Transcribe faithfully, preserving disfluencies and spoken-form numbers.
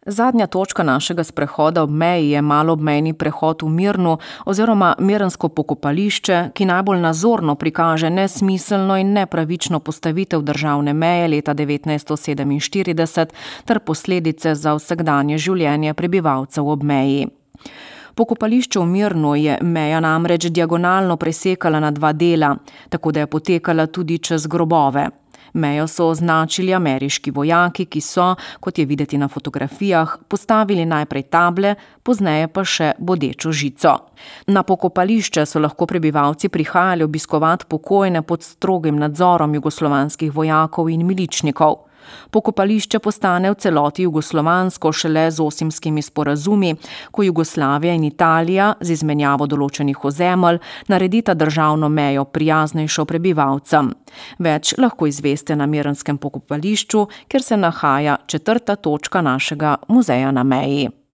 Zadnja točka našega sprehoda ob meji je maloobmejni prehod v Mirnu oziroma mirnsko pokopališče, ki najbolj nazorno prikaže nesmiselno in nepravično postavitev državne meje leta devetnajststo sedeminštirideset ter posledice za vsakdanje življenje prebivalcev ob meji. Pokopališče v Mirnu je meja namreč diagonalno presekala na dva dela, tako da je potekala tudi čez grobove. Mejo so označili ameriški vojaki, ki so, kot je videti na fotografijah, postavili najprej table, pozneje pa še bodečo žico. Na pokopališče so lahko prebivalci prihajali obiskovati pokojne pod strogim nadzorom jugoslovanskih vojakov in miličnikov. Pokopališče postane v celoti jugoslovansko šele z Osimskimi sporazumi, ko Jugoslavija in Italija z izmenjavo določenih ozemelj naredita državno mejo prijaznejšo prebivalcem. Več lahko izveste na mirnskem pokopališču, kjer se nahaja četrta točka našega muzeja na meji.